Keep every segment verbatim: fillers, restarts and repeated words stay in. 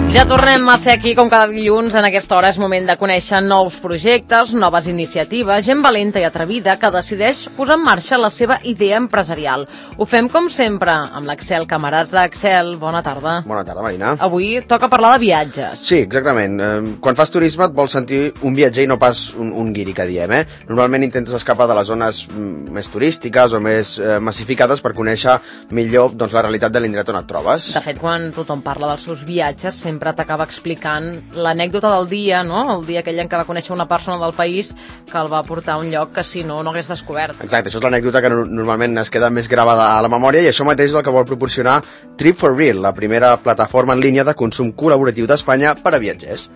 Ja tornem a ser aquí com cada dilluns. En aquesta hora és moment de conèixer nous projectes, noves iniciatives, gent valenta i atrevida que decideix posar en marxa la seva idea empresarial. Ho fem com sempre amb l'Axel, camarats d'Axel. Bona tarda. Bona tarda, Marina. Avui toca parlar de viatges. Sí, exactament. Quan fas turisme et vols sentir un viatger i no pas un, un guiri, que diem, eh? Normalment intentes escapar de les zones més turístiques o més eh, massificades per conèixer millor doncs, la realitat de l'indret on et trobes. De fet, quan tothom parla dels seus viatges, sempre sempre t'acaba explicant l'anècdota del dia, no? El dia aquell en què va conèixer una persona del país que el va portar a un lloc que si no, no hagués descobert. Exacte, això és l'anècdota que normalment es queda més gravada a la memòria, i això mateix és el que vol proporcionar Trip for Real, la primera plataforma en línia de consum col·laboratiu d'Espanya per a viatgers.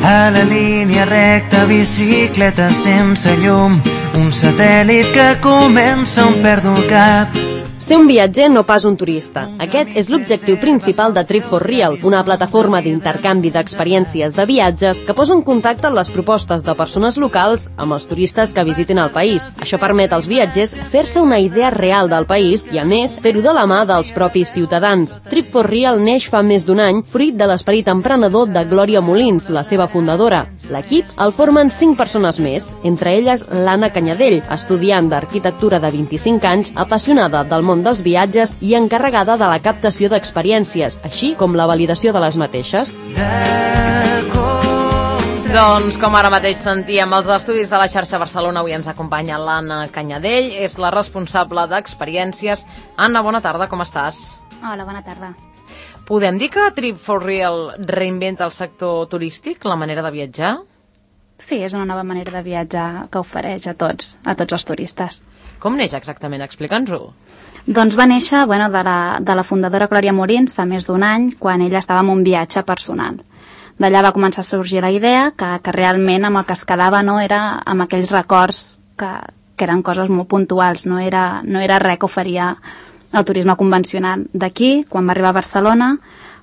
A la línia recta, bicicleta sense llum, un satèl·lit que comença on perdo el cap. Ser un viatger, no pas un turista. Aquest és l'objectiu principal de Trip for Real, una plataforma d'intercanvi d'experiències de viatges que posa en contacte les propostes de persones locals amb els turistes que visitin el país. Això permet als viatgers fer-se una idea real del país i, a més, fer-ho de la mà dels propis ciutadans. Trip for Real neix fa més d'un any, fruit de l'esperit emprenedor de Glòria Molins, la seva fundadora. L'equip el formen cinc persones més, entre elles l'Anna Canyadell, estudiant d'arquitectura de vint-i-cinc anys, apassionada del món dels viatges i encarregada de la captació d'experiències, així com la validació de les mateixes. Doncs, com ara mateix sentíem, als estudis de la xarxa Barcelona avui ens acompanya l'Anna Canyadell, és la responsable d'experiències. Anna, bona tarda, com estàs? Hola, bona tarda. Podem dir que Trip for Real reinventa el sector turístic, la manera de viatjar? Sí, és una nova manera de viatjar que ofereix a tots, a tots els turistes. Com neix exactament? Explica'ns-ho. Doncs va néixer bueno, de, la, de la fundadora Glòria Molins fa més d'un any, quan ella estava en un viatge personal. D'allà va començar a sorgir la idea que, que realment amb el que es quedava no era amb aquells records que, que eren coses molt puntuals, no era, no era res que oferia el turisme convencional. D'aquí, quan va arribar a Barcelona,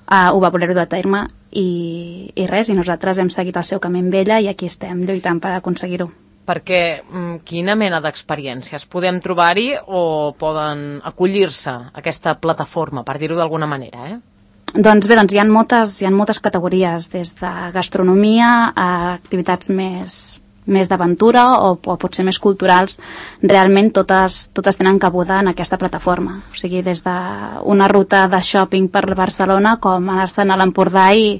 eh, ho va voler dur a terme i, i res, i nosaltres hem seguit el seu camí amb ella i aquí estem lluitant per aconseguir-ho. Perquè quina mena d'experiències podem trobar-hi o poden acollir-se a aquesta plataforma, per dir-ho d'alguna manera, eh? Doncs bé, doncs hi ha moltes, hi ha moltes categories, des de gastronomia a activitats més, més d'aventura o, o potser més culturals. Realment totes, totes tenen cabuda en aquesta plataforma. O sigui, des d'una ruta de shopping per Barcelona com anar-se'n a l'Empordà i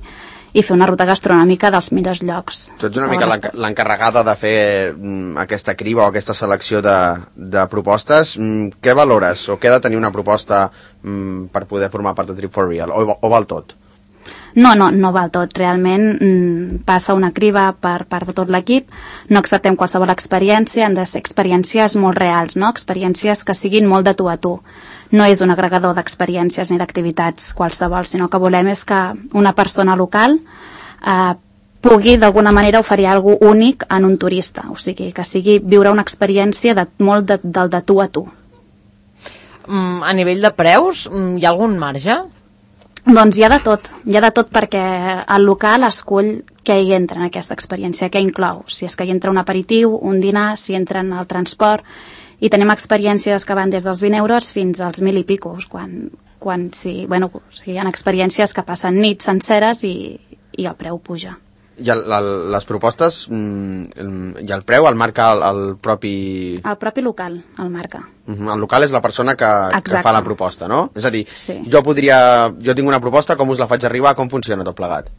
i fer una ruta gastronòmica dels millors llocs. Tu ets una mica l'encarregada de fer mm, aquesta criba o aquesta selecció de, de propostes. Mm, què valores o què ha de tenir una proposta mm, per poder formar part de Trip for Real? O, o val tot? No, no, no val tot. Realment mm, passa una criba per part de tot l'equip. No acceptem qualsevol experiència, han de ser experiències molt reals, no? Experiències que siguin molt de tu a tu. No és un agregador d'experiències ni d'activitats qualsevol, sinó que volem és que una persona local eh, pugui d'alguna manera oferir alguna cosa únic en un turista, o sigui, que sigui viure una experiència de, molt de, del de tu a tu. Mm, a nivell de preus, hi ha algun marge? Doncs hi ha de tot, hi ha de tot perquè el local escull què hi entra en aquesta experiència, què inclou, si és que hi entra un aperitiu, un dinar, si entra en el transport. I tenim experiències que van des dels vint euros fins als mil i picos, quan, quan sí, bueno, sí, hi ha experiències que passen nits senceres i, i el preu puja. I el, el, les propostes, mm, i el preu el marca el, el propi... El propi local el marca. Uh-huh. El local és la persona que, que fa la proposta, no? És a dir, sí. jo podria... Jo tinc una proposta, com us la faig arribar, com funciona tot plegat?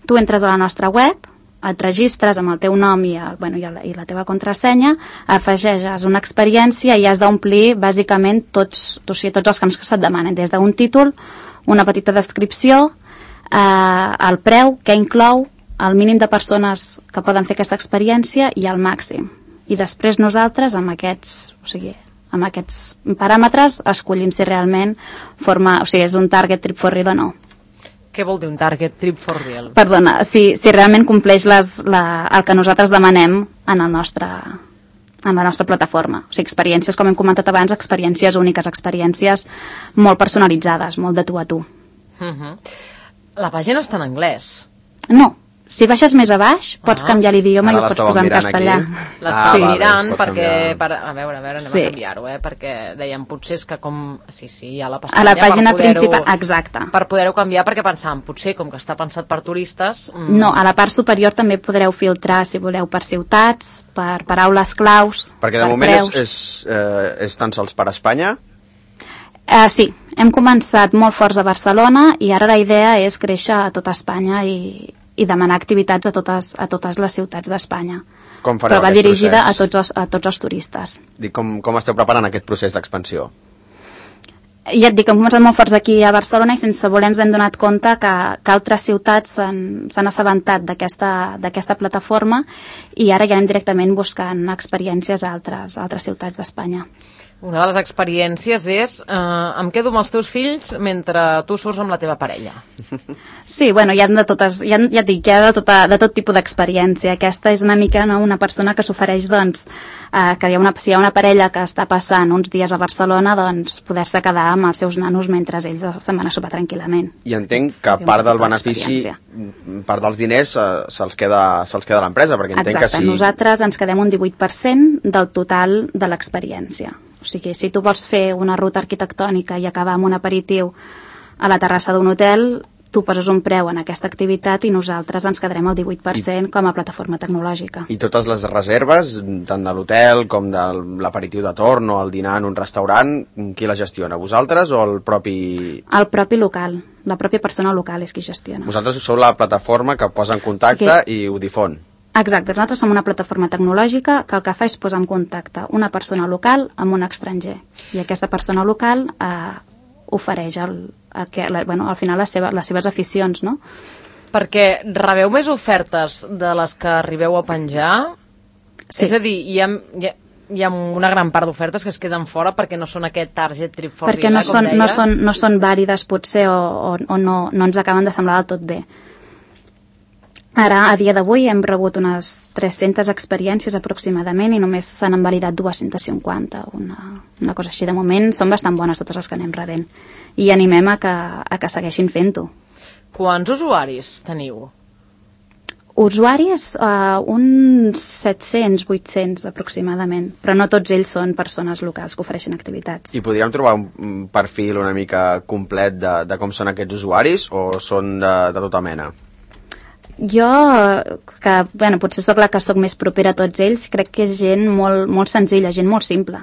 Tu entres a la nostra web, et registres amb el teu nom i, el, bueno, i, el, i la teva contrasenya, afegeixes una experiència i has d'omplir bàsicament tots, o sigui, tots els camps que se't demanen, des d'un títol, una petita descripció, eh, el preu, què inclou, el mínim de persones que poden fer aquesta experiència i el màxim. I després nosaltres, amb aquests, o sigui, amb aquests paràmetres, escollim si realment forma, o sigui, és un target Trip for Real o no. Què vol dir un target Trip for Real? Perdona, si, si realment compleix les, la, el que nosaltres demanem en, el nostre, en la nostra plataforma. O sigui, experiències, com hem comentat abans, experiències úniques, experiències molt personalitzades, molt de tu a tu. Uh-huh. La pàgina està en anglès? No, Si baixes més a baix, pots Ah. canviar l'idioma i Ara ho pots l'estàvem posar en mirant castellà. aquí. L'estava Ah, vale, mirant es pot perquè... canviar. Per, a veure, a veure, anem Sí. a canviar-ho, eh? Perquè dèiem, potser és que com... Sí, sí, hi ha la A pestanya la pàgina per poder-ho- principal, exacte. Per poder-ho canviar, perquè pensàvem, potser, com que està pensat per turistes... mm, No, a la part superior també podreu filtrar, si voleu, per ciutats, per paraules claus, Perquè de per moment és, preus. és, eh, és tan sols per Espanya. Uh, sí, hem començat molt forts a Barcelona i ara la idea és créixer a tota Espanya i, i demanar activitats a totes, a totes les ciutats d'Espanya. Com fareu Però va aquest dirigida procés? a tots, els, a tots els turistes. Dic, com, com esteu preparant aquest procés d'expansió? Ja et dic, hem començat molt forts aquí a Barcelona i sense voler ens hem donat compte que, que altres ciutats s'han s'han assabentat d'aquesta d'aquesta plataforma i ara ja anem directament buscant experiències a altres, a altres ciutats d'Espanya. Una de les experiències és eh, em quedo amb els teus fills mentre tu surts amb la teva parella. Sí, bueno, hi ha de totes, hi ha, ja et dic, hi ha de, tota, de tot tipus d'experiència. Aquesta és una mica, no, una persona que s'ofereix, doncs, eh, que hi ha una, si hi ha una parella que està passant uns dies a Barcelona, doncs, poder-se quedar amb els seus nanos mentre ells se'n van a sopar tranquil·lament. I entenc que Sí, part una del bona benefici, experiència. part dels diners eh, se'ls queda, se'ls queda l'empresa, perquè entenc Exacte, que si... nosaltres ens quedem un divuit per cent del total de l'experiència. O sigui, si tu vols fer una ruta arquitectònica i acabar amb un aperitiu a la terrassa d'un hotel, tu poses un preu en aquesta activitat i nosaltres ens quedarem el divuit per cent com a plataforma tecnològica. I totes les reserves, tant de l'hotel com de l'aperitiu de torn o el dinar en un restaurant, qui la gestiona? Vosaltres o el propi... El propi local, la pròpia persona local és qui gestiona. Vosaltres sou la plataforma que posa en contacte Sí. i ho difon. Exacte, nosaltres som una plataforma tecnològica que el que fa és posar en contacte una persona local amb un estranger. I aquesta persona local eh, ofereix el, el que, la, bueno, al final les, seva, les seves aficions, no? Perquè rebeu més ofertes de les que arribeu a penjar? Sí. És a dir, hi ha, hi ha, hi ha una gran part d'ofertes que es queden fora perquè no són aquest target trip for Perquè real, no eh, com són, no, deies? són, no són vàlides potser o, o, o no, no ens acaben de semblar del tot bé. Ara, a dia d'avui, hem rebut unes tres-centes experiències aproximadament i només se n'han validat dues-centes cinquanta, una, una cosa així. De moment són bastant bones totes les que anem rebent i animem a que, a que segueixin fent-ho. Quants usuaris teniu? Usuaris, uh, uns set-cents, vuit-cents aproximadament, però no tots ells són persones locals que ofereixen activitats. I podríem trobar un, un perfil una mica complet de, de com són aquests usuaris o són de, de tota mena? Jo, que bueno, potser sóc la que sóc més propera a tots ells, crec que és gent molt, molt senzilla, gent molt simple.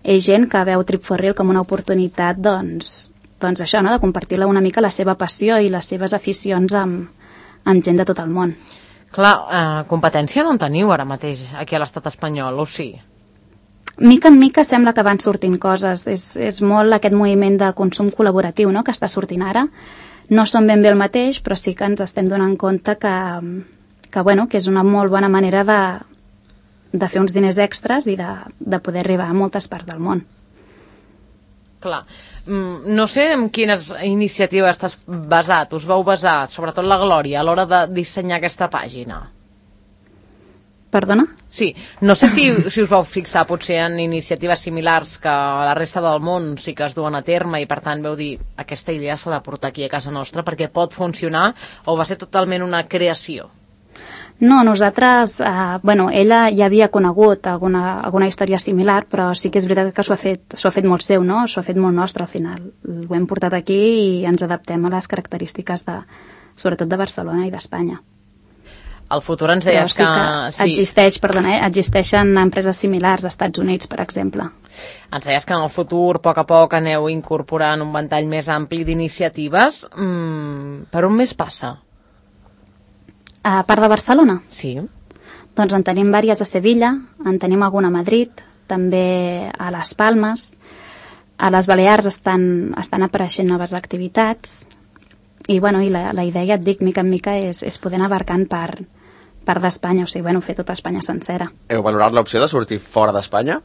És gent que veu Trip for Real com una oportunitat, doncs, doncs això, no? De compartir una mica la seva passió i les seves aficions amb, amb gent de tot el món. Clar, eh, competència no en teniu ara mateix aquí a l'estat espanyol, o sí? Mica en mica sembla que van sortint coses. És, és molt aquest moviment de consum col·laboratiu, no?, que està sortint ara. No són ben bé el mateix, però sí que ens estem donant compte que, que, bueno, que és una molt bona manera de, de fer uns diners extras i de, de poder arribar a moltes parts del món. Clar. Mm, no sé en quines iniciatives estàs basat, us vau basar, sobretot la Glòria, a l'hora de dissenyar aquesta pàgina. Perdona? Sí, no sé si, si us vau fixar potser en iniciatives similars que a la resta del món sí que es duen a terme i per tant vau dir aquesta idea s'ha de portar aquí a casa nostra perquè pot funcionar, o va ser totalment una creació? No, nosaltres, eh, bueno, ella ja havia conegut alguna, alguna història similar, però sí que és veritat que s'ho ha fet, s'ho ha fet molt seu, no? S'ho ha fet molt nostre al final. Ho hem portat aquí i ens adaptem a les característiques de, sobretot de Barcelona i d'Espanya. Al futur ens Però deies sí que, que... Sí, existeix, perdona, eh? existeixen empreses similars als Estats Units, per exemple. ens deies que en el futur, a poc a poc, aneu incorporant un ventall més ampli d'iniciatives. Mm, per on més passa? A part de Barcelona? Sí. Doncs en tenim vàries a Sevilla, en tenim alguna a Madrid, també a Les Palmes. A les Balears estan, estan apareixent noves activitats i, bueno, i la, la idea, ja et dic, mica en mica és, és poder anar abarcant part, part d'Espanya, o sigui, bueno, fer tota Espanya sencera. Heu valorat l'opció de sortir fora d'Espanya?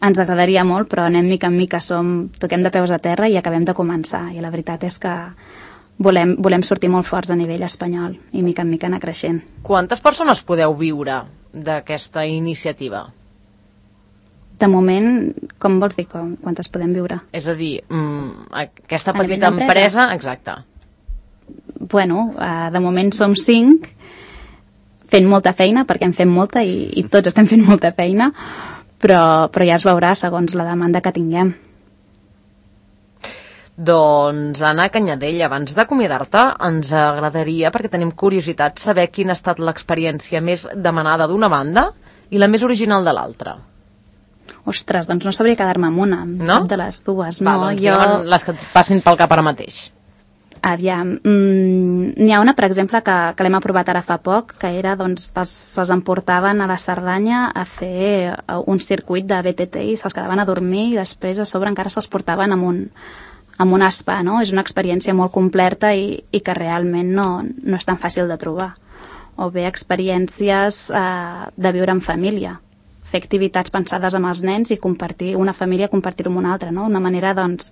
Ens agradaria molt, però anem mica en mica, som, toquem de peus a terra i acabem de començar, i la veritat és que volem, volem sortir molt forts a nivell espanyol i mica en mica anar creixent. Quantes persones podeu viure d'aquesta iniciativa? De moment, com vols dir, com, quantes podem viure? És a dir, mm, aquesta A nivell petita d'empresa? empresa, exacte. Bueno, uh, de moment som cinc fent molta feina, perquè en fem molta i, i tots estem fent molta feina, però, però ja es veurà segons la demanda que tinguem. Doncs, Anna Canyadell, abans d'acomiadar-te, ens agradaria, perquè tenim curiositat, saber quina ha estat l'experiència més demanada d'una banda i la més original de l'altra. Ostres, doncs no sabria quedar-me amb una, amb no? cap de les dues. Va, no, doncs jo... les que et passin pel cap ara mateix. Aviam, mm, n'hi ha una, per exemple, que, que l'hem aprovat ara fa poc, que era, doncs, els, se'ls emportaven a la Cerdanya a fer un circuit de B T T i se'ls quedaven a dormir i després a sobre encara se'ls portaven amb un, amb un spa, no? És una experiència molt completa i, i que realment no, no és tan fàcil de trobar. O bé experiències eh, de viure en família, fer activitats pensades amb els nens i compartir una família, compartir-ho amb una altra, no? Una manera, doncs,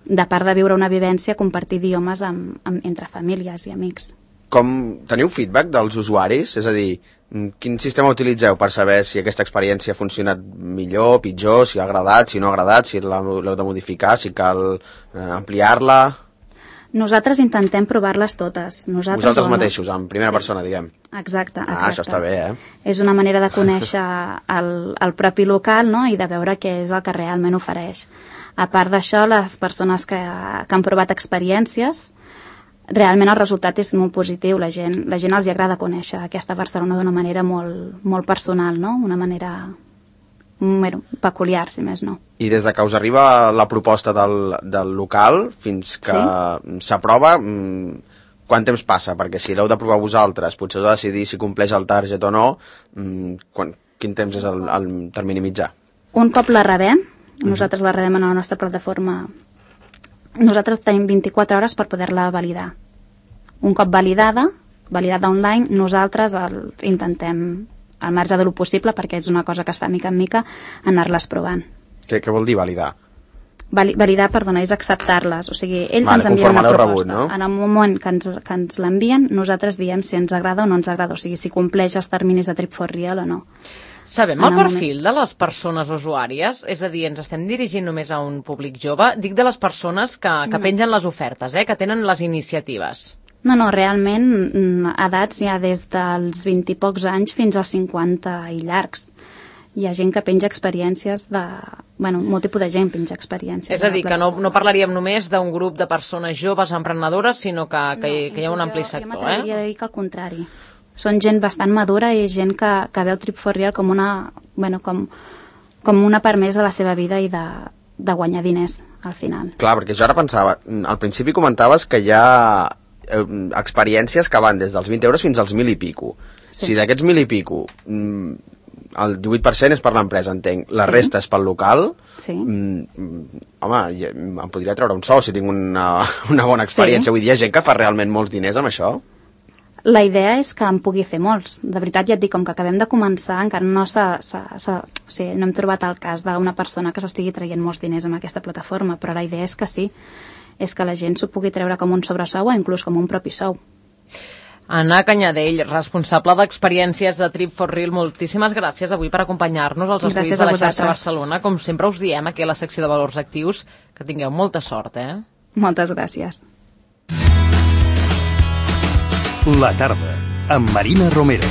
de part de viure una vivència, compartir idiomes amb, amb, entre famílies i amics. Com teniu feedback dels usuaris? És a dir, quin sistema utilitzeu per saber si aquesta experiència ha funcionat millor, pitjor, si ha agradat, si no ha agradat, si l'heu de modificar, si cal eh, ampliar-la? Nosaltres intentem provar-les totes. Nosaltres Vosaltres no, mateixos, en primera sí. persona, diguem. Exacte, exacte. Ah, això està bé, eh? És una manera de conèixer el, el propi local, no?, i de veure què és el que realment ofereix. A part d'això, les persones que, que han provat experiències, realment el resultat és molt positiu. La gent, la gent els hi agrada conèixer aquesta Barcelona d'una manera molt, molt personal, no?, una manera bueno, peculiar, si més no. I des de que us arriba la proposta del, del local fins que sí? s'aprova, quant temps passa? Perquè si l'heu d'aprovar vosaltres, potser heu de decidir si compleix el target o no, quan, quin temps és el, el termini mitjà? Un cop la rebem, nosaltres la rebem a la nostra plataforma, nosaltres tenim vint-i-quatre hores per poder-la validar. Un cop validada, validada online, nosaltres el, intentem, al marge de lo possible, perquè és una cosa que es fa mica en mica, anar-les provant. Què, què vol dir validar? Vali, validar, perdona, és acceptar-les. O sigui, ells vale, ens envien una proposta. Rebut, no? En el moment que ens, que ens l'envien, nosaltres diem si ens agrada o no ens agrada, o sigui, si compleix els terminis de Trip for Real o no. Sabem el perfil de les persones usuàries? És a dir, ens estem dirigint només a un públic jove? Dic de les persones que, que no. pengen les ofertes, eh? Que tenen les iniciatives. No, no, realment edats hi ha des dels vint i pocs anys fins als cinquanta i llargs. Hi ha gent que penja experiències de... Bueno, molt tipus de gent penja experiències. És a dir, que no, no parlaríem només d'un grup de persones joves emprenedores, sinó que, que, no, que hi ha un ampli sector, jo, jo eh? Jo dir que al contrari. Són gent bastant madura i gent que, que veu Trip for Real com una, bueno, com, com una part més de la seva vida i de, de guanyar diners, al final. Clar, perquè jo ara pensava, al principi comentaves que hi ha eh, experiències que van des dels vint euros fins als mil i pico. Sí. Si d'aquests mil i pico, el divuit per cent és per l'empresa, entenc, la sí. resta és pel local, sí. mm, home, em podria treure un sou si tinc una, una bona experiència. Sí. Vull dir, hi ha gent que fa realment molts diners amb això? La idea és que en pugui fer molts. De veritat, ja et dic, com que acabem de començar, encara no s'ha, s'ha, s'ha, o sigui, no hem trobat el cas d'una persona que s'estigui traient molts diners amb aquesta plataforma, però la idea és que sí, és que la gent s'ho pugui treure com un sobresou o inclús com un propi sou. Anna Canyadell, responsable d'experiències de Trip for Real, moltíssimes gràcies avui per acompanyar-nos als estudis de la xarxa Barcelona. Com sempre us diem aquí a la secció de Valors Actius, que tingueu molta sort, eh? Moltes gràcies. La tarda, amb Marina Romero.